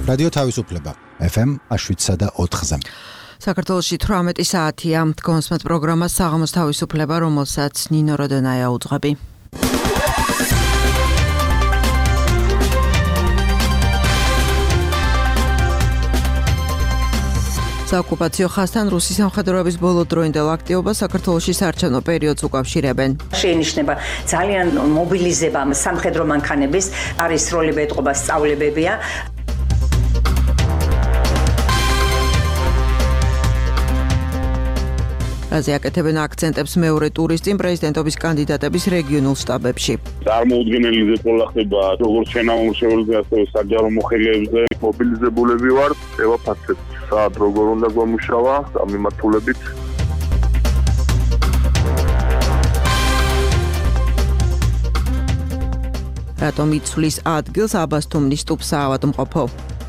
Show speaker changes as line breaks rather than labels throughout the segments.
რადიო თავისუფლება FM 7.4-ზე.
საქართველოში 18 საათია კონსმეთ პროგრამა საღამოს თავისუფლება, რომელსაც ნინო როდენაია უძღვები. საოკუპაციო ხაზთან რუსის სამხედროების ბოლოდროინდელ აქტივობას საქართველოში საარჩევნო პერიოდს უკავშირებენ.
შეინიშნება ძალიან მობილიზება სამხედრო მანქანების, არის როლები ეტყობა სწავლებებია.
რაზე აკეთებენ აქცენტებს მეორე ტურის წინ პრეზიდენტობის კანდიდატების რეგიონულ შტაბებში.
წარმოუდგენელი ზეპოლა ხდება როგორც შენამომრჩეველზე, ასევე საჯარო მოხელეებზე. მობილიზებულები ვართ, ევაფაცეთ საათ როგორ უნდა გვამუშავა ამ მიმართულებით.
რატომ იცვლის ადგილს აბასთუმნის ტუბს ავადმყოფო?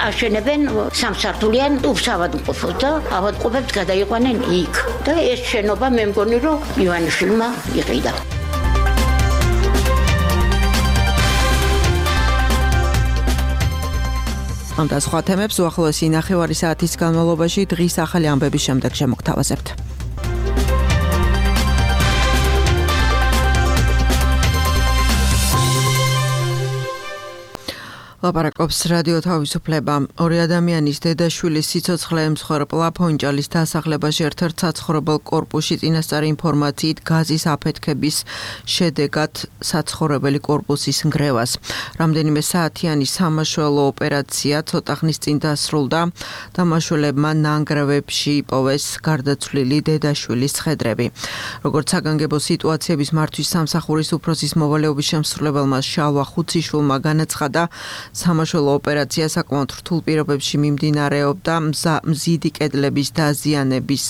აშენებენ სამსართულიან ტუბს ავადმყოფოს და ავადმყოფებს გადაიყვანენ იქ. და ეს შენობა მე მგონი რომ ივანიშვილმა იყიდა.
ამ და სხვა თემებს უახლოესი ნახევარი საათის განმავლობაში დღის ახალი ამბების შემდეგ შემოგთავაზებთ. ლაპარაკობს რადიო თავისუფლება. ორი ადამიანის დედაშვილის სიცოცხლე ემსხვერპლა ფონჭალის დასახლებაში ერთ-ერთ საცხოვრებელ კორპუსში წინასწარი ინფორმაციით გაზის აფეთქების შედეგად საცხოვრებელი კორპუსის ნგრევას. რამდენიმე საათიანი სამაშველო ოპერაცია ცოტა ხნის წინ დასრულდა. დამაშველებმა ნანგრევებში იპოვეს გარდაცვლილი დედაშვილის ცხედრები. როგორც საგანგებო სიტუაციების მართვის სამსახურის უფროსის მოვალეობის შემსრულებელმა შალვა ხუციშვილმა განაცხადა, სამაშველო ოპერაცია საკმაოდ რთულ პირობებში მიმდინარეობდა. მზიდი კედლების დაზიანების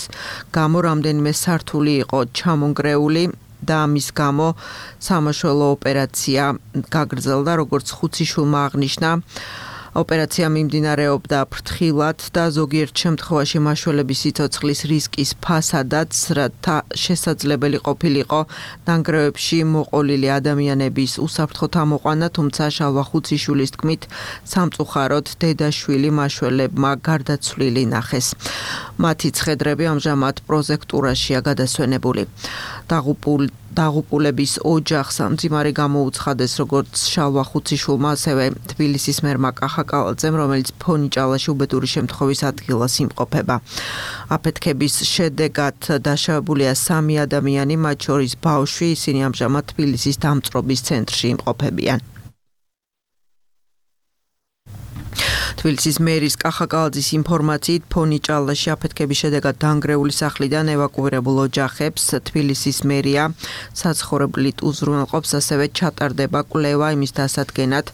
გამო რამდენიმე სართული იყო ჩამონგრეული და ამის გამო სამაშველო ოპერაცია გაგრძელდა, როგორც ხუციშვილმა აღნიშნა. ოპერაცია მიმდინარეობდა ფრთხილად და ზოგიერთ შემთხვევაში მაშველების სიცოცხლის რისკის ფასადაც, რათა შესაძლებელი ყოფილიყო ნანგრევებში მოყოლილი ადამიანების უსაფრთხო ამოყვანა, თუმცა შალვა ხუციშვილის თქმით, სამწუხაროდ დედაშვილი მაშველებმა გარდაცვლილი ნახეს. მათი ცხედრები ამჟამად პროზექტურაშია გადასვენებული. დაღუპულების ოჯახს მძიმარი გამოუცხადეს როგორც შალვა ხუციშვილმა, ასევე თბილისის მერმა კახა კალაძემ, რომელიც ფონიჭალაში უბედური შემთხვევის ადგილას იმყოფება. აფეთქების შედეგად დაშავებულია 3 ადამიანი, მათ შორის ბავშვი, ისინი ამჟამად თბილისის დამწრობის ცენტრში იმყოფებიან. თბილისის მერის კახა კალაძის ინფორმაციით ფონიჭალაში აფეთქების შედეგად დანგრეული სახლიდან ევაკუირებულ ოჯახებს თბილისის მერია საცხოვრებლით უზრუნველყოფს, ასევე ჩატარდება კვლევა იმის დასადგენად,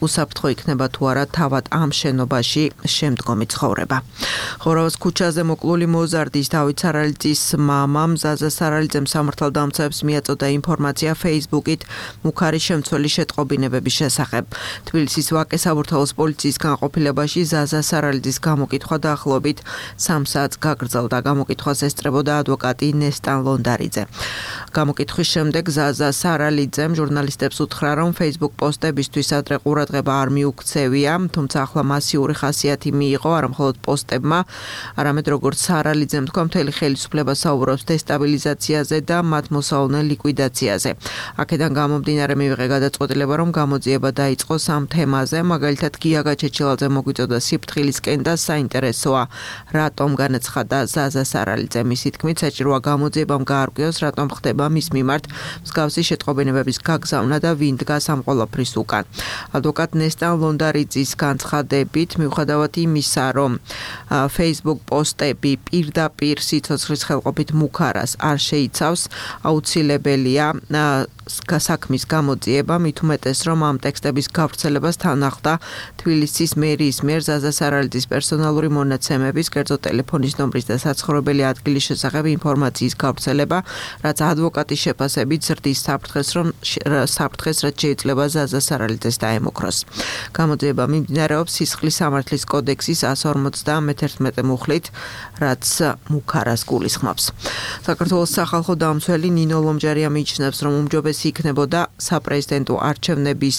უსაფრთხო იქნება თუ არა თავად ამ შენობაში შემდგომი ცხოვრება. ხორავის ქუჩაზე მოკლული მოზარდის დავით სარალიძის მამამ ზაზა სარალიძემ სამართალდამცავებს მიაწოდა ინფორმაცია Facebook-ით მუქარი შემცველი შეტყობინებების შესახებ. თბილისის ვაკე საბურთალოს პოლიციის განყოფილებაში ზაზა სარალიძის გამოკითხვა დაახლოებით 3 საათს გაგრძელდა. გამოკითხვას ესწრებოდა ადვოკატი ნესტან ლონდარიძე. გამოკითხვის შემდეგ ზაზა სარალიძემ ჟურნალისტებს უთხრა, რომ Facebook პოსტებისთვის ადრე ყურადღება არ მიუქცევია, თუმცა ახლა მასიური ხასიათი მიიღო არა მხოლოდ პოსტებმა, არამედ როგორც სარალიძემ თქვა, მთელი ხელისუფლება საუბრობს დესტაბილიზაციაზე და მათ მოსავალნელ ლიკვიდაციაზე. აქედან გამომდინარე მივიღე გადაწყვეტილება, რომ გამოძიება დაიწყოს ამ თემაზე, მაგალითად გია გაჩეჩილაძე მოგვიწოდა სიფრთხილისკენ და საინტერესოა, რატომ განაცხადა ზაზა სარალიძე. მისი თქმით, საჭიროა გამოძიებამ გაარკვიოს, რატომ ხდება მის მიმართ მსგავსი შეტყობინებების გაგზავნა და ვინ დგას ამ ყველაფრის უკან. ადვოკატ ნესტან ლონდარიძის განცხადებით, მიუხედავად იმისა, რომ Facebook პოსტები პირდაპირ სიცოცხლის ხელყოფით მუქარას არ შეიცავს, აუცილებელია საქმის გამოძიება, მით უმეტეს, რომ ამ ტექსტების გავრცელებას თან ახლდა თბილისის მერიის მიერ ზაზა სარალიძის პერსონალური მონაცემების, კერძო ტელეფონის ნომრის და საცხოვრებელი ადგილის შესახებ ინფორმაციის გავრცელება, რაც ადვოკატის შეფასებით ზრდის საფრთხეს, რაც შეიძლება ზაზა სარალიძეს დაემუქროს. გამოძიება მიმდინარეობს სისხლის სამართლის კოდექსის 151 მუხლით, რაც მუქარას გულისხმობს. საქართველოს სახალხო დამცველი ნინო ლომჯარია მიიჩნევს, რომ უმჯობესი უმეტესი იქნებოდა საპრეზიდენტო არჩევნების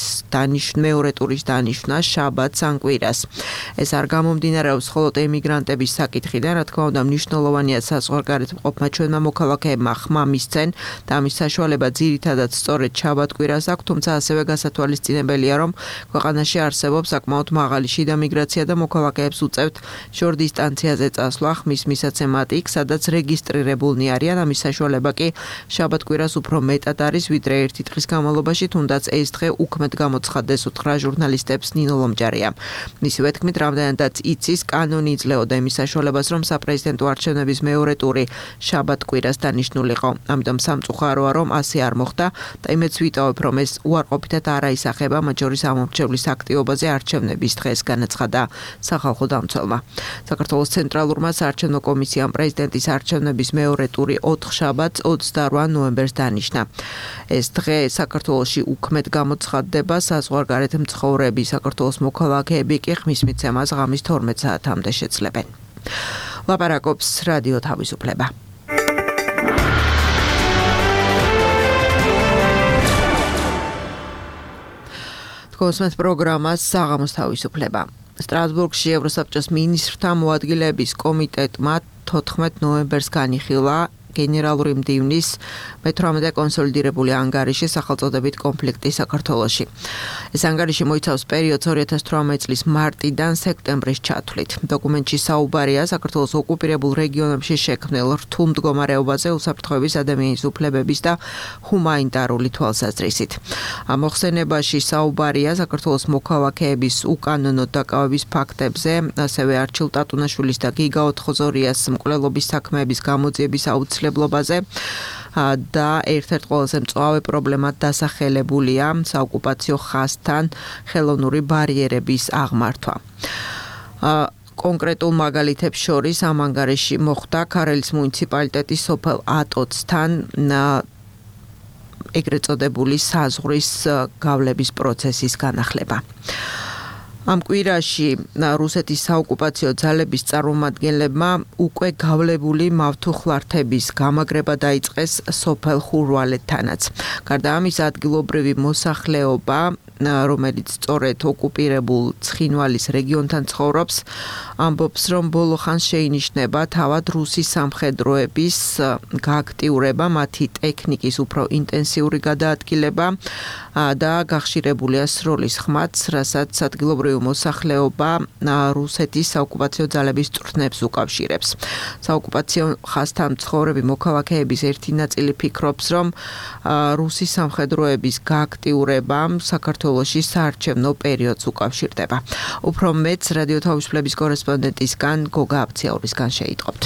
მეორე ტურის დანიშვნა შაბათს ან კვირას. ეს არ გამომდინარეობს მხოლოდ ემიგრანტების საკითხიდან, რა თქმა უნდა, მნიშვნელოვანია საზღვარგარეთ მყოფმა ჩვენმა მოქალაქეებმა ხმა მისცენ და ამის საშუალება ძირითადად სწორედ შაბათ-კვირას აქვს, თუმცა ასევე გასათვალისწინებელია, რომ ქვეყანაში არსებობს საკმაოდ მაღალი შიდა მიგრაცია და მოქალაქეებს უწევთ შორ დისტანციაზე წასვლა ხმის მისაცემად იქ, სადაც რეგისტრირებულნი არიან. ამის საშუალება კი შაბათ-კვირას უფრო მეტად არის, ვიდრე ერთი დღის განმავლობაში, თუნდაც ეს დღე უქმედ გამოცხადდეს უთხრა ჟურნალისტებს ნინო ლომჯარია. მისივე თქმით, რამდენადაც იცის, კანონი იძლეოდა იმის საშუალებას, რომ საპრეზიდენტო არჩევნების მეორე ტური შაბათ-კვირას დანიშნულიყო. ამიტომ სამწუხაროა, რომ ასე არ მოხდა და იმედს ვიტოვებ, რომ ეს უარყოფითად არ აისახება მათ შორის ამორჩევლის აქტივობაზე არჩევნების დღეს, განაცხადა სახალხო დამცველმა. საქართველოს ცენტრალურმა საარჩევნო კომისიამ პრეზიდენტის არჩევნების მეორე ტური 4 შაბათს 28 ნოემბერს დანიშნა. ეს დღე საქართველოში უქმედ გამოცხადდება, საზღვარგარეთ მცხოვრები საქართველოს მოქალაქეები კი ხმის მიცემას ღამის 12 საათამდე შეძლებენ. ლაპარაკობს რადიო თავისუფლება. კონსმეთ პროგრამას საღამოს თავისუფლება. სტრასბურგში ევროსაბჭოს მინისტრთა მოადგილეების კომიტეტმა 14 ნოემბერს განიხილა გენერალური მდივნის მე-18 კონსოლიდირებული ანგარიში სახელწოდებით კონფლიქტი საქართველოში. ეს ანგარიში მოიცავს პერიოდს 2018 წლის მარტიდან სექტემბრის ჩათვლით. დოკუმენტში საუბარია საქართველოს ოკუპირებულ რეგიონებში შექმნილ რთულ მდგომარეობაზე უსაფრთხოების ადამიანის უფლებების და ჰუმანიტარული თვალსაზრისით. ამ მოხსენებაში საუბარია საქართველოს მოქალაქეების უკანონო დაკავების ფაქტებზე, ასევე არჩილ ტატუნაშვილის და გიგა ოთხოზორიას მკვლელობის საქმეების გამოძიების აუცილებლობაზე და ერთ-ერთ ყველაზე მწვავე პრობლემად დასახელებულია საოკუპაციო ხაზთან ხელოვნური ბარიერების აღმართვა. კონკრეტულ მაგალითებს შორის ამ ანგარიში მოხდა ქარელის მუნიციპალიტეტის სოფელ ატოცთან ეგრეთ წოდებული საზღვრის გავლების პროცესის განახლება. ამ კვირაში რუსეთის საოკუპაციო ძალების წარმომადგენლებმა უკვე გავლებული მავთუხლართების გამაგრება დაიწყეს სოფელ ხურვალეთთანაც. გარდა ამისა, ადგილობრივი მოსახლეობა, რომელიც სწორედ ოკუპირებულ ცხინვალის რეგიონთან ცხოვრობს, ამბობს, რომ ბოლო ხანს შეინიშნება თავად რუსის სამხედროების გააქტიურება, მათი ტექნიკის უფრო ინტენსიური გადაადგილება და გახშირებულია სროლის ხმაც, რასაც ადგილობრივი მოსახლეობა რუსეთის საოკუპაციო ძალების წვრთნებს უკავშირებს. საოკუპაციო ხაზთან მცხოვრები მოქალაქეების ერთი ნაწილი ფიქრობს, რომ რუსის სამხედროების გააქტიურებამ საქართველოში საარჩევნო პერიოდს უკავშირდება. უფრო მეც რადიო თავისუფლების კორესპონდენტისგან გოგა აბციაურისგან შეიტყობთ.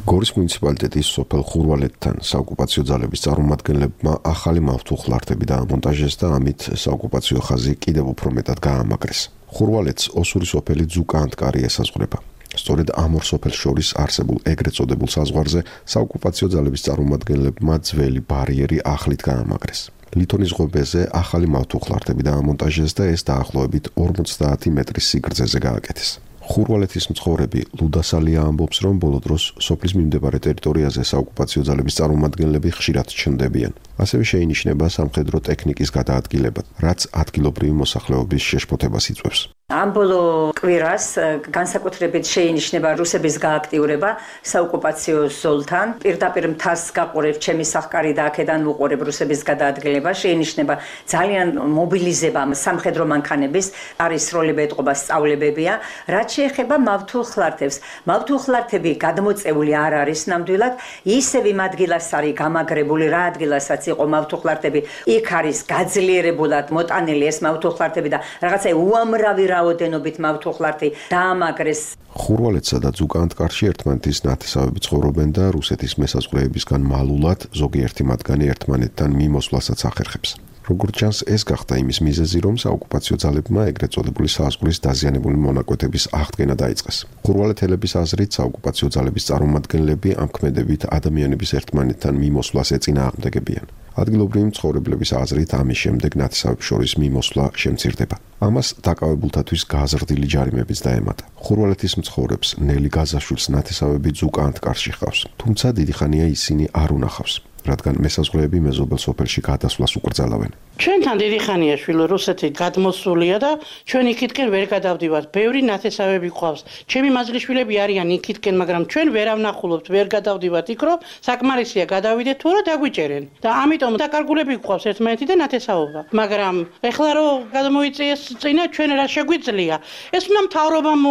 გორის მუნიციპალიტეტის სოფელ ხურვალეთთან საოკუპაციო ძალების წარმომადგენლებმა ახალი მავთუხლართები დაამონტაჟეს და ამით საოკუპაციო ხაზი კიდევ უფრო მეტად გაამაგრეს. ხურვალეთს ოსური სოფელი ძუკა-ანტკარი ესაზღვრება. სწორედ ამ ორ სოფელს შორის არსებულ ეგრეთ წოდებულ საზღვარზე საოკუპაციო ძალების წარმომადგენლებმა ძველი ბარიერი ახლით გაამაგრეს. ლითონის ღობეზე ახალი მავთუხლართები დაამონტაჟეს და ეს დაახლოებით 50 მეტრის სიგრძეზე გააკეთეს. ხურვალეთის მცხოვრები ლუდასალია ამბობს, რომ ბოლო დროს სოფლის მიმდებარე ტერიტორიაზე საოკუპაციო ძალების წარმომადგენლები ხშირად ჩნდებიან. ასევე შეინიშნება სამხედრო ტექნიკის გადაადგილება, რაც ადგილობრივი მოსახლეობის შეშფოთებას იწვევს.
ამ ბოლო კვირას განსაკუთრებით შეინიშნება რუსების გააქტიურება საოკუპაციო ზოლთან. პირდაპირ მთას გაყურებ ჩემი სახკარი და აქედან ვუყურებ რუსების გადაადგილება. შეინიშნება ძალიან მობილიზება სამხედრო მანქანების, არის როლები ეტყობა სწავლებებია. რაც შეეხება მავთუხლართებს, მავთუხლართები გადმოწეული არ არის ნამდვილად, ისევ იმ ადგილას არის გამაგრებული, რა ადგილასაც იყო მავთუხლართები, იქ არის გაძლიერებულად მოტანილი ეს მავთუხლართები და რაღაცა უამრავი რაოდენობით მავთუხლართი დაამაგრეს.
ხურვალეთსა და ძუკა-ანტკარში ერთმანეთის ნათესავები ცხოვრობენ და რუსეთის მესაზღვრეებისგან მალულად ზოგიერთი მათგანი ერთმანეთთან მიმოსვლასაც ახერხებს. როგორც ჩანს, ეს გახდა იმის მიზეზი, რომ საოკუპაციო ძალებმა ეგრეთ წოდებული საზღვრის დაზიანებული მონაკვეთების აღდგენა დაიწყეს. ხურვალეთელების აზრით, საოკუპაციო ძალების წარმომადგენლები ამ ქმედებით ადამიანების ერთმანეთთან მიმოსვლას ეწინააღმდეგებიან. ადგილობრივი მცხოვრებლების აზრით, ამის შემდეგ ნათესავებს შორის მიმოსვლა შემცირდება. ამას დაკავებულთათვის გაზრდილი ჯარიმებიც დაემატა. ხურვალეთის მცხოვრებს ნელი გაზაშვილს ნათესავები ძუკა-ანტკარში ჰყავს, თუმცა დიდი ხანია ისინი არ უნახავს. რადგან მესაზღვრეები მეზობელ სოფელში გადასვლას უკრძალავენ.
ჩვენთან დიდი ხანია შვილო რუსეთი გადმოსულია და ჩვენ იქითკენ ვერ გადავდივართ. ბევრი ნათესავები ყავს. ჩემი მაზლიშვილები არიან იქითკენ, მაგრამ ჩვენ ვერ ავნახულობთ, ვერ გადავდივართ იქ, რომ საკმარისია გადავიდეთ თუ რა დაგვიჭერენ. და ამიტომ დაკარგულები ყავს ერთმანეთი და ნათესაობა. მაგრამ ეხლა რომ გადმოიწიეს წინა ჩვენ რა შეგვიძლია? ეს უნდა მთავრობამ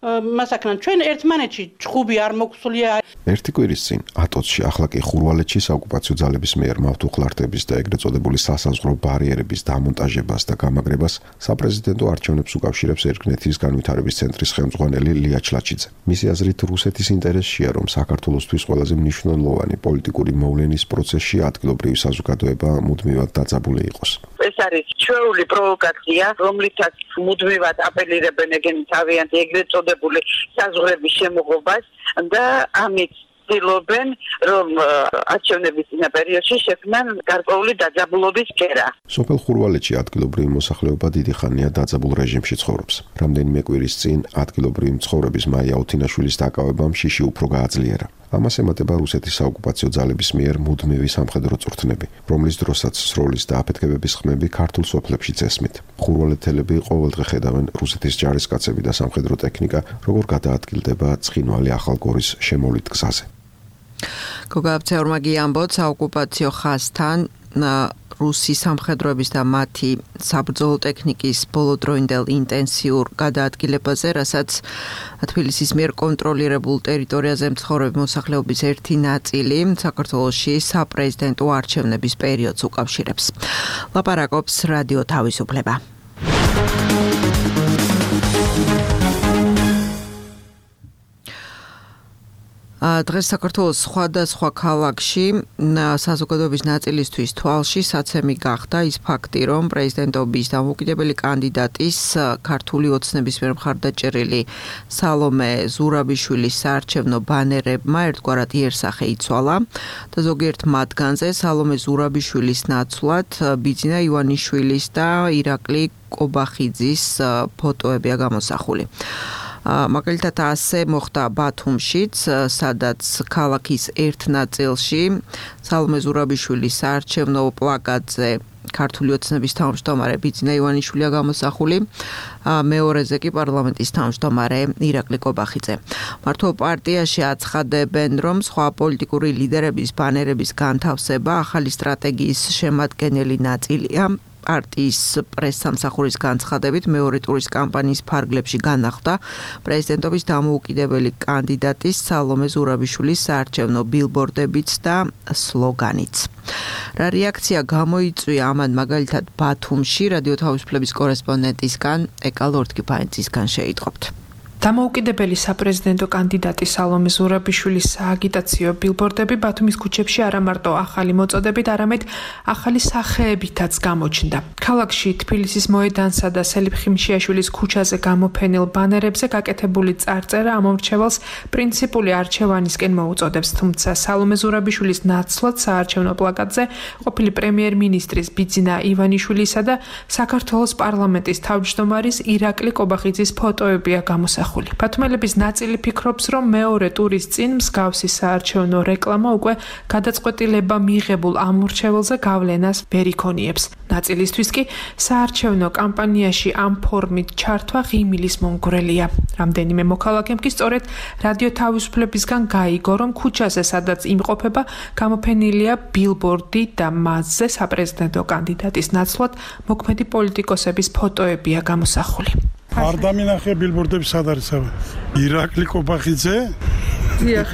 მასაკნან ჩვენ ერთმანეთში ჭხუბი არ მოგვსულია.
ერთი კვირის წინ ატოცში, ახლა კი ხურვალეთში საოკუპაციო ძალების მიერ მავთუხლართების და ეგრეთ წოდებული სასაზღვრო ბარიერების დამონტაჟებას და გამაგრებას საპრეზიდენტო არჩევნებს უკავშირებს ერგნეთის განვითარების ცენტრის ხელმძღვანელი ლია ჩლაჩიძე. მისი აზრით, რუსეთის ინტერესია, რომ საქართველოსთვის ყველაზე მნიშვნელოვანი პოლიტიკური მოვლენის პროცესში ადგილობრივი საზოგადოება მუდმივად დაძაბული იყოს.
ეს არის ჩვეული პროვოკაცია, რომლითაც მუდმივად აპელირებენ თავიანთი ეგრეთ წოდებული საზღვრების შემოღებას და ამით ცდილობენ, რომ არჩევნების წინა პერიოდში შექმნან გარკვეული დაძაბულობის კერა.
სოფელ ხურვალეთში ადგილობრივი მოსახლეობა დიდი ხანია დაძაბულ რეჟიმში ცხოვრობს. რამდენიმე კვირის წინ ადგილობრივი მცხოვრების მაია ოთინაშვილის დაკავებამ შიში უფრო გააძლიერა. ამას ემატება რუსეთის საოკუპაციო ძალების მიერ მუდმივი სამხედრო წვრთნები, რომლის დროსაც სროლის და აფეთქებების ხმები ქართულ სოფლებშიც ესმით. ხურვალეთელები ყოველდღე ხედავენ რუსეთის ჯარისკაცები და სამხედრო ტექნიკა, როგორ გადაადგილდება ცხინვალი ახალგორის შემოვლით გზაზე.
გოგა აბცეურმაგი ამბობს, საოკუპაციო ხაზთან რუსი სამხედროების და მათი საბრძოლო ტექნიკის ბოლოდროინდელ ინტენსიურ გადაადგილებაზე, რასაც თბილისის მიერ კონტროლირებულ ტერიტორიაზე მცხოვრები მოსახლეობის ერთი ნაწილი საქართველოში საპრეზიდენტო არჩევნების პერიოდს უკავშირებს. ლაპარაკობს რადიო თავისუფლება. დღეს საქართველოს სხვადასხვა ქალაქში საზოგადოების ნაწილისთვის თვალში საცემი გახდა ის ფაქტი, რომ პრეზიდენტობის დამოუკიდებელი კანდიდატის ქართული ოცნების მიერ მხარდაჭერილი სალომე ზურაბიშვილის საარჩევნო ბანერებმა ერთგვარად იერსახე იცვალა და ზოგიერთ მათგანზე სალომე ზურაბიშვილის ნაცვლად ბიძინა ივანიშვილის და ირაკლი კობახიძის ფოტოებია გამოსახული. მაგალითად ასე მოხდა ბათუმშიც, სადაც ქალაქის ერთ ნაწილში სალომე ზურაბიშვილის საარჩევნო პლაკატზე ქართული ოცნების თავმჯდომარე ბიძინა ივანიშვილია გამოსახული, მეორეზე კი პარლამენტის თავმჯდომარე ირაკლი კობახიძე. მართლ პარტიაში აცხადებენ, რომ სხვა პოლიტიკური ლიდერების ბანერების განთავსება ახალი სტრატეგიის შემადგენელი ნაწილია. პარტიის პრესსამსახურის განცხადებით მეორე ტურის კამპანიის ფარგლებში განახლდა პრეზიდენტობის დამოუკიდებელი კანდიდატის სალომე ზურაბიშვილის საარჩევნო ბილბორდებიც და სლოგანიც. რა რეაქცია გამოიწვია ამან მაგალითად ბათუმში რადიო თავისუფლების კორესპონდენტისგან ეკალორთკიფაინცისგან შეიტყობთ.
დამოუკიდებელი საპრეზიდენტო კანდიდატი სალომე ზურაბიშვილის სააგიტაციო ბილბორდები ბათუმის ქუჩებში არა მარტო ახალი მოწოდებით, არამედ ახალი სახეებითაც გამოჩნდა. ქალაქში თბილისის მოედანსა და სელიფ ხიმშიაშვილის ქუჩაზე გამოფენილ ბანერებზე გაკეთებული წარწერა ამომრჩევალს პრინციპული არჩევანისკენ მოუწოდებს, თუმცა სალომე ზურაბიშვილის ნაცვლად საარჩევნო პლაკატზე ყოფილი პრემიერ-მინისტრის ბიძინა ივანიშვილისა და საქართველოს პარლამენტის თავმჯდომარის ირაკლი კობახიძის ფოტოებია გამოსახული. ბათუმელების ნაწილი ფიქრობს, რომ მეორე ტურის წინ მსგავსი საარჩევნო რეკლამა უკვე გადაწყვეტილება მიღებულ ამორჩეველზე გავლენას ვერ იქონიებს. ნაწილისთვის კი საარჩევნო კამპანიაში ამ ფორმით ჩართვა ღიმილის მომგვრელია. რამდენიმე მოქალაქემ კი სწორედ რადიო თავისუფლებისგან გაიგო, რომ ქუჩაზე, სადაც იმყოფება, გამოფენილია ბილბორდი და მასზე საპრეზიდენტო კანდიდატის ნაცვლად მოქმედი პოლიტიკოსების ფოტოებია გამოსახული.
არ დამინახე ბილბორდები სად არის აბა? ირაკლი კობახიძე? დიახ.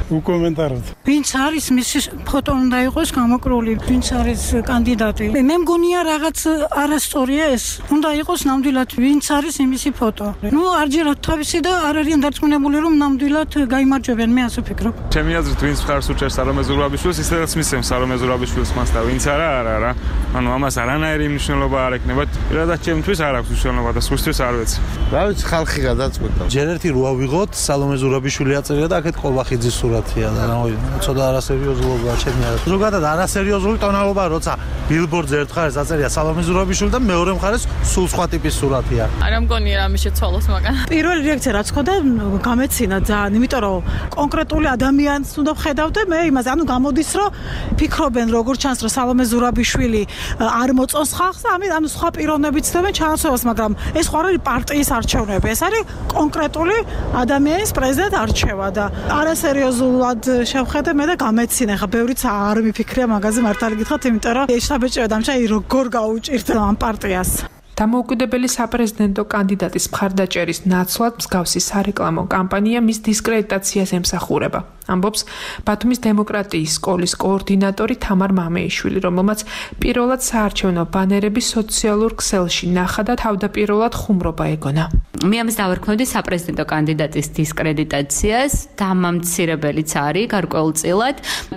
უკომენტაროთ.
ვინც არის მისი ფოტო უნდა იყოს გამოკრული, ვინც არის კანდიდატი. მე მგონია რაღაც არასწორია ეს. უნდა იყოს ნამდვილად ვინც არის იმისი ფოტო. არჯერად თავისი და არ არიან დარწმუნებული რომ ნამდვილად გაიმარჯვებიან, მე ასე ვფიქრობ.
ჩემი აზრით ვინც მხარს უჭერს სალომე ზურაბიშვილს, ისედაც მისცემს სალომე ზურაბიშვილს მას და ვინც არა. ამას არანაირი მნიშვნელობა არ ექნება. პირადად ჩემთვის არ აქვს მნიშვნელობა და სხვისთვის არ ვიცი.
რა ვიცი, ხალხი გადაწყვეტა. ჯერ ერთი რო ავიღოთ, სალომე ზურაბიშვილი აწერია და აქეთ კობახიძის სურათი სურათია და ცოტა არასერიოზულობაა ჩემი არა. ზოგადად არასერიოზული ტონალობა, როცა ბილბორდზე ერთ მხარეს აწერია სალომე ზურაბიშვილი და მეორე მხარეს სულ სხვა ტიპის სურათია.
არა მგონია რამე შეცვალოს მაგან.
პირველი რეაქცია რაც ხოდა გამეცინა ძალიან, იმიტომ რომ კონკრეტული ადამიანს უნდა ვხედავდე მე იმას, ანუ გამოდის რომ ფიქრობენ როგორ ჩანს რომ სალომე ზურაბიშვილი არ მოწონს ხალხს და ამით ანუ სხვა პიროვნებიც ცდებენ ჩანაცვლებას, მაგრამ ეს ხო არ არის პარტიის არჩევნები, ეს არის კონკრეტული ადამიანის პრეზიდენტ არჩევა და არასერიოზულად შევხედე მე და გამეცინა. ხა ბევრიც არ მიფიქრია მაგაზე მართალი გითხრათ, იმიტომ რომ შთაბეჭდება დამჭა როგორ გაუჭირდა ამ პარტიას.
დამოუკიდებელი საპრეზიდენტო კანდიდატის მხარდაჭერის ნაცვლად მსგავსი სარეკლამო კამპანია მის დისკრედიტაციას ემსახურება. ამბობს ბათუმის დემოკრატიის სკოლის კოორდინატორი თამარ მამეიშვილი, რომელმაც პირველად საარჩევნო ბანერები სოციალურ ქსელში ნახა და თავდაპირველად ხუმრობა ეგონა.
მე ამას დავარქმევდი საპრეზიდენტო კანდიდატის დისკრედიტაციას, დამამცირებელიც არის გარკვეულწილად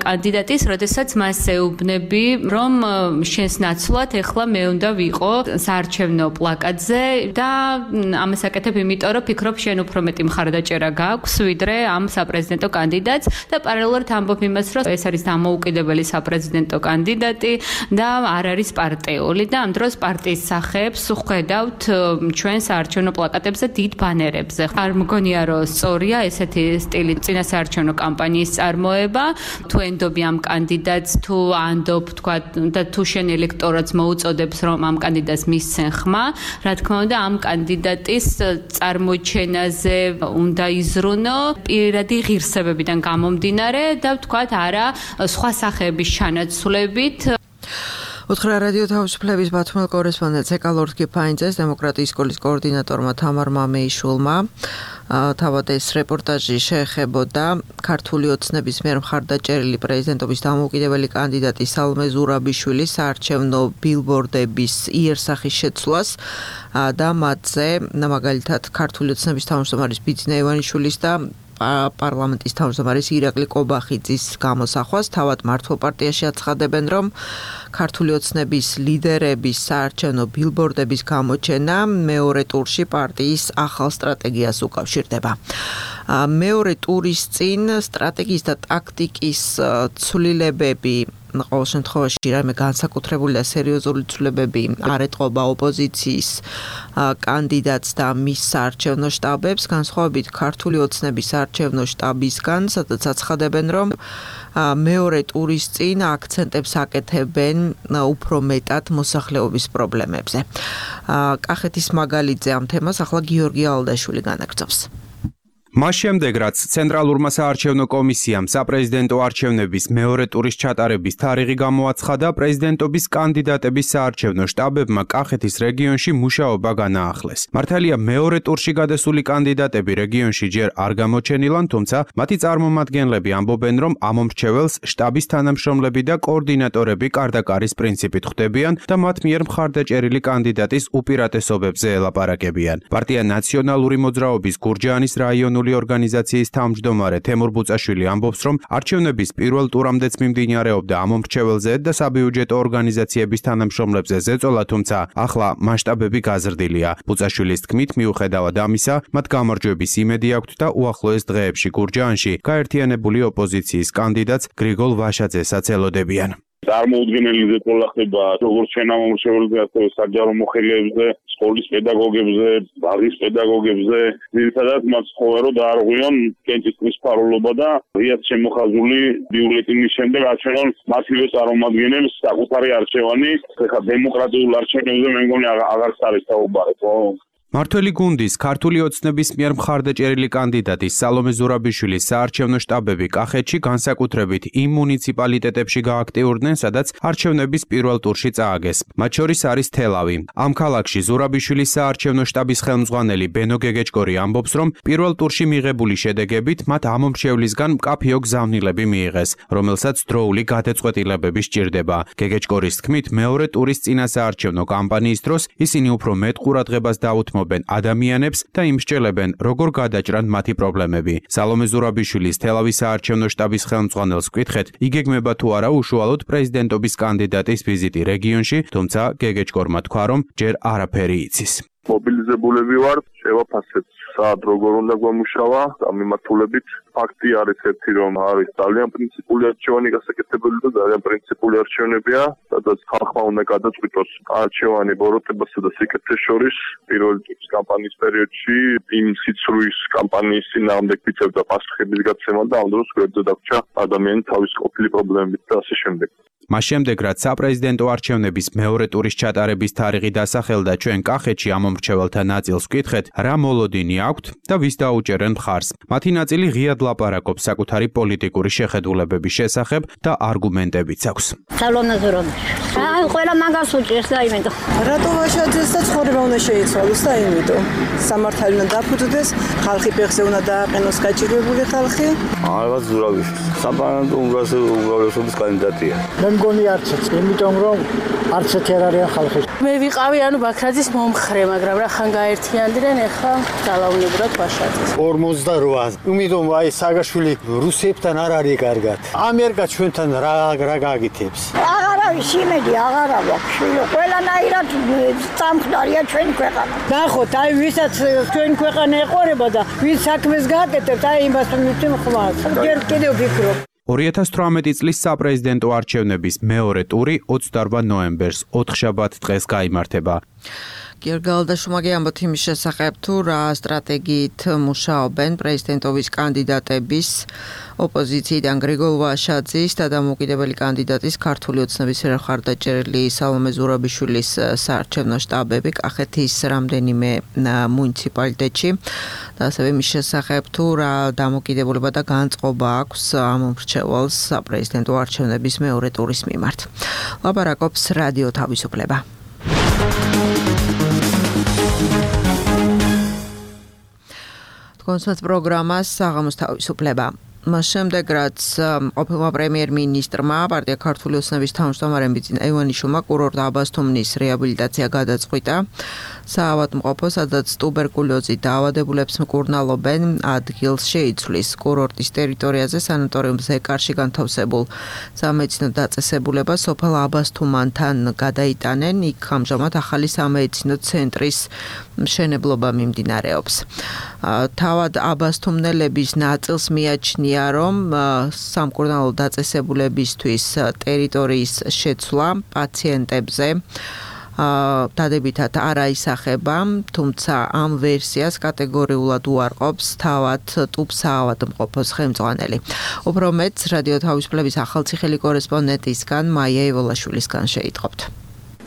კანდიდატის, როდესაც მას ეუბნები, რომ შენს ნაცვლად ეხლა მე უნდა ვიყო საარჩევნო პლაკატზე და ამას აკეთებ იმიტომ, რომ ფიქრობ შენ უფრო მეტი მხარდაჭერა გაქვს, ვიდრე ამ საპრეზიდენტო კანდიდატს და პარალელურად ამბობ იმას, რომ ეს არის დამოუკიდებელი საპრეზიდენტო კანდიდატი და არ არის პარტიული და ამ დროს პარტიის სახეებს ვხედავთ ჩვენ საარჩევნო პლაკატებზე დიდ ბანერებზე. არ მგონია რომ სწორია ესეთი სტილი წინასაარჩევნო კამპანიის წარმოება, თუ ენდობი ამ კანდიდატს, თუ ანდობ თქვა და თუ შენ ელექტორატს მოუწოდებს რომ ამ კანდიდატს მისცენ ხმა, რა თქმა უნდა ამ კანდიდატის წარმოჩენაზე უნდა იზრუნო პირადი ღირსებებიდან გამომდინარე და ვთქვათ არა სხვა სახეების ჩანაცვლებით.
უთხრა რადიო თავისუფლების ბათუმელ კორესპონდენტს ეკალორდ კიფაინძეს დემოკრატიის სკოლის კოორდინატორმა თამარ მამეიშვილმა თავად ეს რეპორტაჟი შეეხებოდა ქართული ოცნების მიერ მხარდაჭერილი პრეზიდენტობის დამოუკიდებელი კანდიდატი სალომე ზურაბიშვილის საარჩევნო ბილბორდების იერსახის შეცვლას და მათზე მაგალითად ქართული ოცნების თავმჯდომარის ბიძინა ივანიშვილის და პარლამენტის თავმჯდომარის ირაკლი კობახიძის გამოსახვას. თავად მართლ პარტიაში აცხადებენ, რომ ქართული ოცნების ლიდერების საარჩევნო ბილბორდების გამოჩენა მეორე ტურში პარტიის ახალ სტრატეგიას უკავშირდება. მეორე ტურის წინ სტრატეგიის და ტაქტიკის ცვლილებები ყოველ შემთხვევაში რამე განსაკუთრებული და სერიოზული ცვლილებები არ ეტყობა ოპოზიციის კანდიდატს და მის საარჩევნო შტაბებს, განსხვავებით ქართული ოცნების საარჩევნო შტაბისგან, სადაც აცხადებენ, რომ მეორე ტურის წინ აქცენტებს აკეთებენ უფრო მეტად მოსახლეობის პრობლემებზე. კახეთის მაგალითზე ამ თემას ახლა გიორგი ალდაშვილი განაგრძობს.
მას შემდეგ, რაც ცენტრალურმა საარჩევნო კომისიამ საპრეზიდენტო არჩევნების მეორე ტურის ჩატარების თარიღი გამოაცხადა, პრეზიდენტობის კანდიდატების საარჩევნო შტაბებმა კახეთის რეგიონში მუშაობა განაახლეს. მართალია მეორე ტურში გადასული კანდიდატები რეგიონში ჯერ არ გამოჩენილან, თუმცა მათი წარმომადგენლები ამბობენ, რომ ამომრჩეველს შტაბის თანამშრომლები და კოორდინატორები კარდაკარის პრინციპით ხვდებიან და მათ მიერ მხარდაჭერილი კანდიდატის უპირატესობებზე ელაპარაკებიან. პარტია ნაციონალური მოძრაობის გურჯაანის რაიონული ორგანიზაციის თავმჯდომარე თემურ ბუწაშვილი ამბობს, რომ არჩევნების პირველ ტურამდეც მიმდინარეობდა ამომრჩეველზე და საბიუჯეტო ორგანიზაციების თანამშრომლებზე ზეწოლა, თუმცა ახლა მასშტაბები გაზრდილია. ბუწაშვილის თქმით, მიუხედავად ამისა, მათ გამარჯვების იმედი აქვთ და უახლოეს დღეებში გურჯაანში გაერთიანებული ოპოზიციის კანდიდატს გრიგოლ ვაშაძესაც ელოდებიან.
წარმოუდგენელი ზეწოლა ხდება როგორც შენამომრჩეველზე, ასევე საჯარო მოხელეებზე, სკოლის პედაგოგებზე, ბაღის პედაგოგებზე, ძირითადად მათ ცხოვა რომ დაარღვიონ კენჭისყრის ფარულობა და ღიად შემოხაზული ბიულეტინის შემდეგ აჩვენონ მათივე წარმომადგენელს საკუთარი არჩევანი. ეხლა დემოკრატიულ არჩევნებზე მე მგონი აღარც არის საუბარი, ხო?
მართველი გუნდის ქართული ოცნების მიერ მხარდაჭერილი კანდიდატის სალომე ზურაბიშვილის საარჩევნო შტაბები კახეთში განსაკუთრებით იმ მუნიციპალიტეტებში გააქტიურდნენ, სადაც არჩევნების პირველ ტურში წააგეს. მათ შორის არის თელავი. ამ ქალაქში ზურაბიშვილის საარჩევნო შტაბის ხელმძღვანელი ბენო გეგეჭკორი ამბობს, რომ პირველ ტურში მიღებული შედეგებით მათ ამომრჩევლისგან მკაფიო გზავნილები მიიღეს, რომელსაც დროული გადაწყვეტილებები სჭირდება. გეგეჭკორის თქმით, მეორე ტურის წინასაარჩევნო კამპანიის დროს ისინი უფრო მეტ ყურადღებას დაუთმობენ ადამიანებს და იმსჯელებენ, როგორ გადაჭრან მათი პრობლემები. სალომე ზურაბიშვილის თელავის საარჩევნო შტაბის ხელმძღვანელს ვკითხეთ, იგეგმება თუ არა უშუალოდ პრეზიდენტობის კანდიდატის ვიზიტი რეგიონში, თუმცა გეგეჭკორმა თქვა, რომ ჯერ არაფერი იცის.
მობილიზებულები ვართ, შევაფასებთ საათ როგორ უნდა გვამუშავა და მიმართულებით ფაქტი არის ერთი რომ არის ძალიან პრინციპული არჩევანი გასაკეთებელი და ძალიან პრინციპული არჩევნებია, სადაც ხალხმა უნდა გადაწყვიტოს არჩევანი ბოროტებასა და სიკეთეს შორის პირველი ტიპის კამპანიის პერიოდში იმ სიცრუის კამპანიის წინააღმდეგ ვიწევდა პასუხების გაცემა და ამ დროს გვერდზე დაგვრჩა ადამიანი თავის ყოფილი პრობლემებით და ასე შემდეგ.
მას შემდეგ, რაც საპრეზიდენტო არჩევნების მეორე ტურის ჩატარების თარიღი დასახელდა, ჩვენ კახეთში ამ მომრჩეველთა ნაწილს ვკითხეთ, რა მოლოდინი აქვთ და ვის დაუჭერენ მხარს. მათი ნაწილი ღიად ლაპარაკობს საკუთარი პოლიტიკური შეხედულებების შესახებ და არგუმენტებიც აქვს.
აი, ყველა მაგას უჭერს და იმიტომ.
რატო ვაშაძეს და ცხოვრება უნდა შეიცვალოს და იმიტომ. სამართალი უნდა დაფუძნდეს, ხალხი ფეხზე უნდა დააყენოს გაჭირვებული ხალხი.
რაღაც ზურავიშვილს. საპარლამენტო უმრავლესობის კანდიდატია.
მგონი არც იმიტომ რომ არც ერთ არიან ხალხი.
მე ვიყავი ბაქრაძის მომხრე, მაგრამ რა ხან გაერთიანდნენ, ეხლა ძალაუნებურად ვაშაძეს.
48. იმიტომ აი საგაშვილი რუსებთან არ არის კარგად. ამერიკა ჩვენთან რა გაგითებს.
აღარ არის იმედი, აღარ აქვს. ყველანაირად წამხდარია ჩვენ ქვეყანა.
ნახოთ, აი ვისაც ჩვენ ქვეყანა ეყურება და ვინც საქმეს გააკეთებს, აი იმას მივთვი ხმას. ჯერ კიდევ ვფიქრობ.
2018 წლის საპრეზიდენტო არჩევნების მეორე ტური 28 ნოემბერს 4 შაბათ დღეს გაიმართება.
გერგალდაშუმაგი ამბობთ იმის შესახებ, თუ რა სტრატეგიით მუშაობენ პრეზიდენტობის კანდიდატების ოპოზიციიდან გრიგოლ ვაშაძის და დამოუკიდებელი კანდიდატის ქართული ოცნების მხარდაჭერილი სალომე ზურაბიშვილის საარჩევნო შტაბები კახეთის რამდენიმე მუნიციპალიტეტში და ასევე იმის შესახებ, თუ რა დამოკიდებულება და განწყობა აქვს ამ მრჩეველს საპრეზიდენტო არჩევნების მეორე ტურის მიმართ. ლაპარაკობს რადიო თავისუფლება. კონსერტ პროგრამას საღამოს თავისუფლება. მას შემდეგ, რაც ყოფილმა პრემიერ-მინისტრმა პარტია ქართული ოცნების თავმჯდომარემ ბიძინა ივანიშვილმა კურორტ აბასთუმნის რეაბილიტაცია გადაწყვიტა. საავადმყოფო, სადაც ტუბერკულოზით დაავადებულებს მკურნალობენ, ადგილს შეიცვლის. კურორტის ტერიტორიაზე სანატორიუმ ზეკარში განთავსებულ სამედიცინო დაწესებულებას სოფელ აბასთუმანთან გადაიტანენ. იქ ამჟამად ახალი სამედიცინო ცენტრის მშენებლობა მიმდინარეობს. თავად აბასთუმნელების ნაწილს მიაჩნია, რომ სამკურნალო დაწესებულებისთვის ტერიტორიის შეცვლა პაციენტებზე დადებითად არ აისახება, თუმცა ამ ვერსიას კატეგორიულად უარყოფს თავად ტუბსაავადმყოფოს ხელმძღვანელი. უფრო მეტს რადიო თავისუფლების ახალციხელი კორესპონდენტისგან მაია ევოლაშვილისგან შეიტყობთ.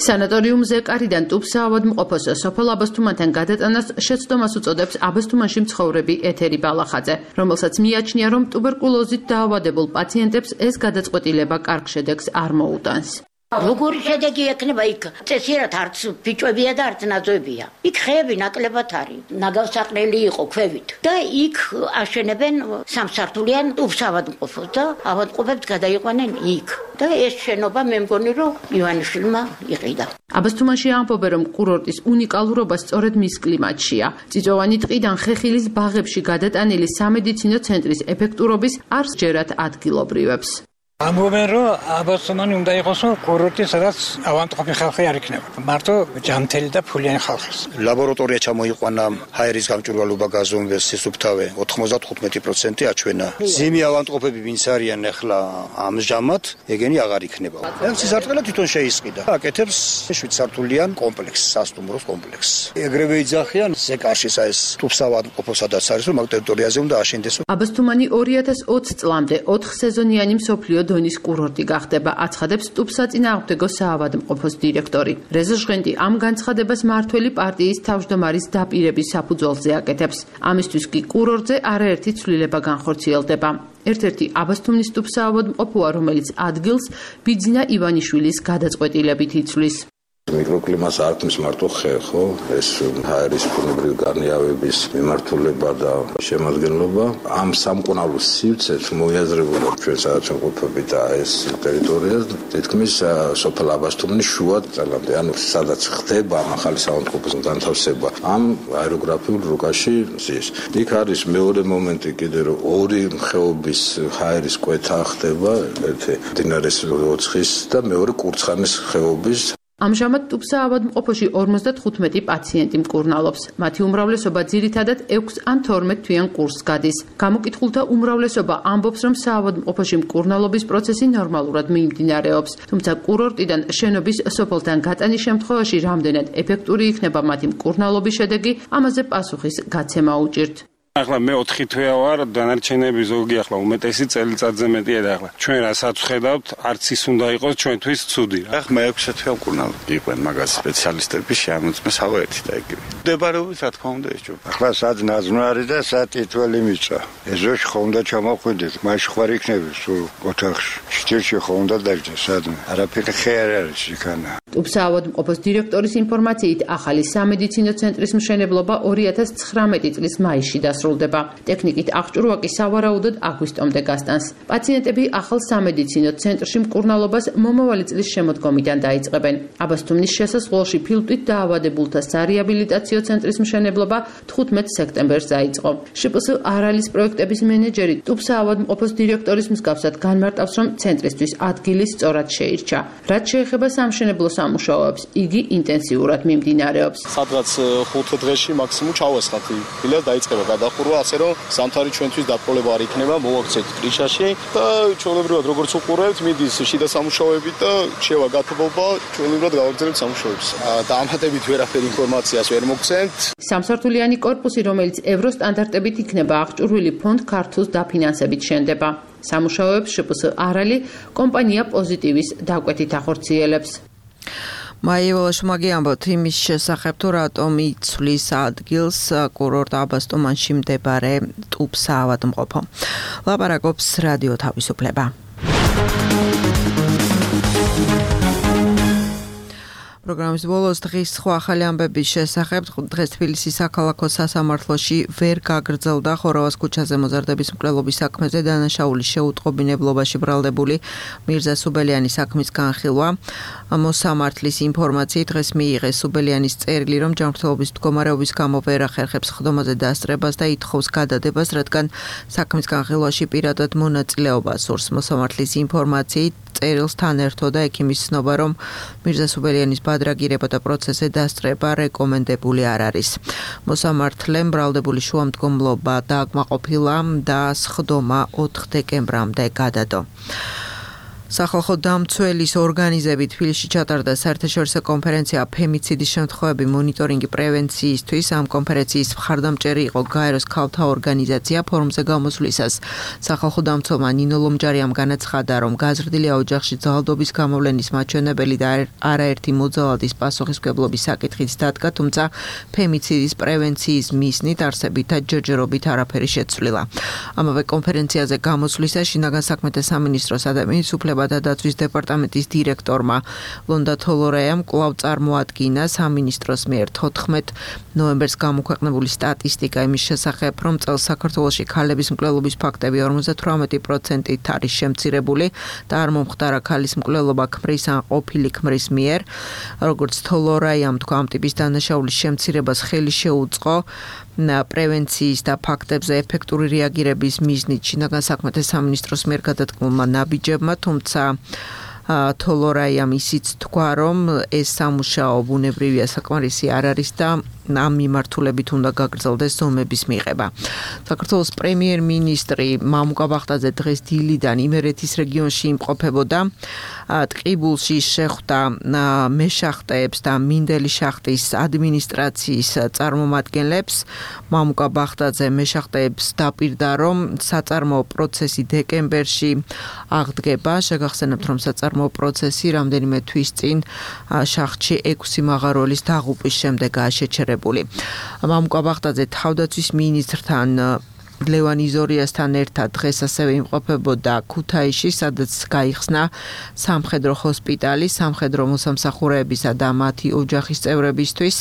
სანატორიუმ ზეკარიდან ტუბსაავადმყოფოს სოფელ აბასთუმანთან გადატანას შეცდომას უწოდებს აბასთუმანში მცხოვრები ეთერი ბალახაძე, რომელსაც მიაჩნია, რომ ტუბერკულოზით დაავადებულ პაციენტებს ეს გადაწყვეტილება კარგ შედეგს არ მოუტანს.
როგორი შედეგი ექნება იქ? წესიერად არც ბიჭებია და არც ნაძვებია. იქ ხეები ნაკლებად არის. ნაგავსაყრელი იყო ქვევით. და იქ აშენებენ სამსართულიან ტუბსაავადმყოფოს და ავადმყოფებს გადაიყვანენ იქ. და ეს შენობა მე მგონი რომ ივანიშვილმა იყიდა.
აბასთუმანში ამბობენ, რომ კურორტის უნიკალურობა სწორედ მის კლიმატშია. წიწვოვანი ტყიდან ხეხილის ბაღებში გადატანილი სამედიცინო ცენტრის ეფექტურობის არ სჯერათ ადგილობრივებს.
ამბობენ, რომ აბასთუმანი უნდა იყოს კურორტი, სადაც ავადმყოფი ხალხი არ იქნება. მარტო ჯანმრთელი და ფულიანი ხალხის.
ლაბორატორია ჩამოიყვანა, ჰაერის გამჭვირვალობა გაზომვეს, სისუფთავე 95% აჩვენა. ზიმი ავადმყოფები ვინც არიან ახლა ამჟამად, ეგენი აღარ იქნება. ეს სისარტყელა თვითონ შეისყიდა. აკეთებს 7 სართულიან კომპლექსს, სასტუმროს კომპლექსს. ეგრევე იძახიან ზეკარში ეს ტუბსაავადმყოფო სადაც არის, რომ მაგ ტერიტორიაზე უნდა აშენდეს.
აბასთუმანი 2020 წლამდე 4 სეზონიანი მსოფლიო დონის კურორტი გახდება, აცხადებს ტუბსაწინააღმდეგო საავადმყოფოს დირექტორი. რეზო ჟღენდი ამ განცხადებას მართველი პარტიის თავმჯდომარის დაპირების საფუძველზე აკეთებს. ამისთვის კი კურორტზე არაერთი ცვლილება განხორციელდება. ერთ-ერთი აბასთუმნის ტუბსაავადმყოფოა, რომელიც ადგილს ბიძინა ივანიშვილის გადაწყვეტილებით იცვლის.
მიკროკლიმატს არ ქმნის მარტო ხე, ხო? ეს ჰაერის ბუნებრივი გარნიავების მიმართულება და შემადგენლობა. ამ სამკურნალო სივრცეს მოიაზრებოდა ჩვენ სადაც ვყოფებით და ეს ტერიტორია თითქმის სოფელ აბასთუმნის შუა ძალამდე, ანუ სადაც ხდება ახალი საავადმყოფოს განთავსება. ამ აეროგრაფიულ რუკაში ზის. იქ არის მეორე მომენტი კიდე, რომ ორი ხეობის ჰაერის კვეთა ხდება, ერთი მდინარის ოცხის და მეორე კურცხანის ხეობის
ამჟამად ტუბსა ავადმყოფოში 55 პაციენტი მკურნალობს. მათი უმრავლესობა ძირითადად 6 ან 12 თვიან კურსს გადის. გამოკითხულთა უმრავლესობა ამბობს, რომ საავადმყოფოში მკურნალობის პროცესი ნორმალურად მიმდინარეობს, თუმცა კურორტიდან შენობის სოფელთან გატანის შემთხვევაში რამდენად ეფექტური იქნება მათი მკურნალობის შედეგი, ამაზე პასუხის გაცემა უჭირთ.
ახლა მე 4 თვეა ვარ, დანარჩენები ზოგი ახლა უმეტესი წელიწადზე მეტია და ახლა ჩვენ რასაც ვხედავთ, არც ის უნდა იყოს ჩვენთვის ცუდი.
ახლა მე 6 თვეა მკურნალობ. იყვნენ მაგას სპეციალისტები შეამოწმეს ახლა ერთი და იგივე. დებარებით რა თქმა უნდა ეს ჯობა.
ახლა სად ნაზნარი და სად თითველი მიწა. ეზოში ხო უნდა ჩამოხვიდეთ, მაშინ ხარ იქნები სულ ოთახში. შტილში ხო უნდა დაждდეს სადმე. არაფერი ხე არ არის იქანა.
ტუბსა ავადმყოფოს დირექტორის ინფორმაციით, ახალი სამედიცინო ცენტრის მშენებლობა 2019 წლის მაისში დასრულდება. ტექნიკით აღჭურვა კი სავარაუდოდ აგვისტომდე გასტანს. პაციენტები ახალ სამედიცინო ცენტრში მკურნალობას მომავალი წლის შემოდგომიდან დაიწყებენ. აბასთუმნის შესასვლელში ფილტვით დაავადებულთა სარეაბილიტაციო ცენტრის მშენებლობა 15 სექტემბერს დაიწყო. შპს არალის პროექტების მენეჯერი ტუბსა ავადმყოფოს დირექტორის მსგავსად განმარტავს, რომ ცენტრისთვის ადგილი სწორად შეირჩა. რაც შეეხება სამშენებლო სამუშაოებს, იგი ინტენსიურად მიმდინარეობს.
სადღაც 5 დღეში მაქსიმუმ ჩავესხათ ფილას დაიწყება გადახურვა, ასე რომ სამთარი ჩვენთვის დაპყრობა არ იქნება, მოვაქცეთ პრიშაში და ჩვეულებრივად როგორც უყურებთ, მიდის შიდა სამუშაოები და შევა გათბობა, ჩვეულებრივად გავაგრძელებთ სამუშაოებს. დამატებით ვერაფერ ინფორმაციას ვერ მოგცემთ.
სამსართულიანი კორპუსი, რომელიც ევროსტანდარტებით იქნება აღჭურვილი ფონდ ქართულს დაფინანსებით შენდება. სამუშაოებს შპს არალი კომპანია პოზიტივის დაკვეთით ახორციელებს.
მაიევალაშმაგი ამბობთ იმის შესახებ, თუ რატომ იცვლის ადგილს კურორტ აბასტუმანში მდებარე ტუბსა ავადმყოფო. ლაპარაკობს რადიო თავისუფლება. პროგრამის ბოლოს დღის სხვა ახალი ამბების შესახებ დღეს თბილისის საქალაქო სასამართლოში ვერ გაგრძელდა ხორავას ქუჩაზე მოზარდების მკვლელობის საქმეზე დანაშაულის შეუტყობინებლობაში ბრალდებული მირზა სუბელიანის საქმის განხილვა. მოსამართლის ინფორმაციით დღეს მიიღეს სუბელიანის წერილი, რომ ჯანმრთელობის მდგომარეობის გამო ვერ ახერხებს ხდომაზე დასწრებას და ითხოვს გადადებას, რადგან საქმის განხილვაში პირადად მონაწილეობა სურს. მოსამართლის ინფორმაციით წერილს თან ერთოდა ექიმის ცნობა, რომ მირზა სუბელიანის ბადრაგირება და პროცესზე დასწრება რეკომენდებული არ არის. მოსამართლემ ბრალდებული შუამდგომლობა დააკმაყოფილა და სხდომა 4 დეკემბრამდე გადადო. სახალხო დამცველის ორგანიზებით თბილისში ჩატარდა საერთაშორისო კონფერენცია ფემიციდის შემთხვევები მონიტორინგი პრევენციისთვის. ამ კონფერენციის მხარდამჭერი იყო გაეროს ქალთა ორგანიზაცია. ფორუმზე გამოსვლისას სახალხო დამცველმა ნინო ლომჯარიამ განაცხადა, რომ გაზრდილია ოჯახში ძალადობის გამოვლენის მაჩვენებელი და არაერთი მოძალადის პასუხისმგებლობის საკითხიც დადგა, თუმცა ფემიციდის პრევენციის მიზნით არსებით და ჯერჯერობით არაფერი შეცვლილა. ამავე კონფერენციაზე გამოსვლისას შინაგან საქმეთა სამინისტროს ადამიანის უფლებათა და დაცვის დეპარტამენტის დირექტორმა ლონდა თოლორაიამ კვლავ წარმოადგინა სამინისტროს მიერ 14 ნოემბერს გამოქვეყნებული სტატისტიკა იმის შესახებ, რომ წელს საქართველოში ქალების მკვლელობის ფაქტები 58%-ით არის შემცირებული და არ მომხდარა ქალის მკვლელობა ქმრის ან ყოფილი ქმრის მიერ. როგორც თოლორაიამ თქვა, ამ ტიპის დანაშაულის შემცირებას ხელი შეუწყო პრევენციის და ფაქტებზე ეფექტური რეაგირების მიზნით შინაგან საქმეთა სამინისტროს მიერ გადადგმულმა ნაბიჯებმა, თუმცა თოლორაიამ ისიც თქვა, რომ ეს სამუშაო ბუნებრივია, საკმარისი არ არის და ამ მიმართულებით უნდა გაგრძელდეს ზომების მიღება. საქართველოს პრემიერ-მინისტრი მამუკა ბახტაძე დღეს დილიდან იმერეთის რეგიონში იმყოფებოდა. ტყიბულში შეხვდა მეშახტეებს და მინდელი შახტის ადმინისტრაციის წარმომადგენლებს. მამუკა ბახტაძე მეშახტეებს დაპირდა, რომ საწარმოო პროცესი დეკემბერში აღდგება. შეგახსენებთ, რომ საწარმოო პროცესი რამდენიმე თვის წინ შახტში 6 მაღაროლის დაღუპვის შემდეგაა შეჩერებული. მამუკა ბახტაძე თავდაცვის მინისტრთან ლევან იზორიასთან ერთად დღეს ასევე იმყოფებოდა ქუთაისში, სადაც გაიხსნა სამხედრო ჰოსპიტალი სამხედრო მოსამსახურეებისა და მათი ოჯახის წევრებისთვის.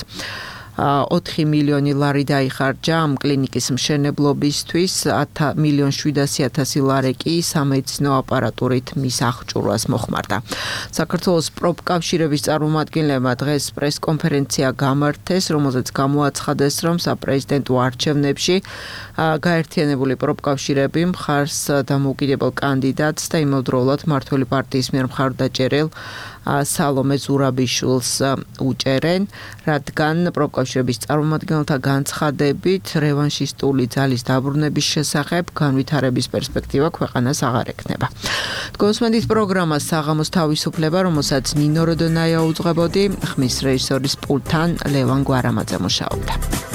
4 მილიონი ლარი დაიხარჯა ამ კლინიკის მშენებლობისთვის, 1,700,000 ლარი კი სამედიცინო აპარატურით მის აღჭურვას მოხმარდა. საქართველოს პროფკავშირების წარმომადგენლებმა დღეს პრესკონფერენცია გამართეს, რომელზეც გამოაცხადეს, რომ საპრეზიდენტო არჩევნებში გაერთიანებული პროფკავშირები მხარს დამოუკიდებელ კანდიდატს და იმავდროულად მმართველი პარტიის მიერ მხარდაჭერილ სალომე ზურაბიშვილს უჭერენ, რადგან პროფკავშირების წარმომადგენელთა განცხადებით რევანშისტული ძალის დაბრუნების შესახებ განვითარების პერსპექტივა ქვეყანას აღარ ექნება. გონსმენდის პროგრამა საღამოს თავისუფლება, რომელსაც ნინო როდონაია უძღვებოდი, ხმის რეჟისორის პულტთან ლევან გვარამაძე მუშაობდა.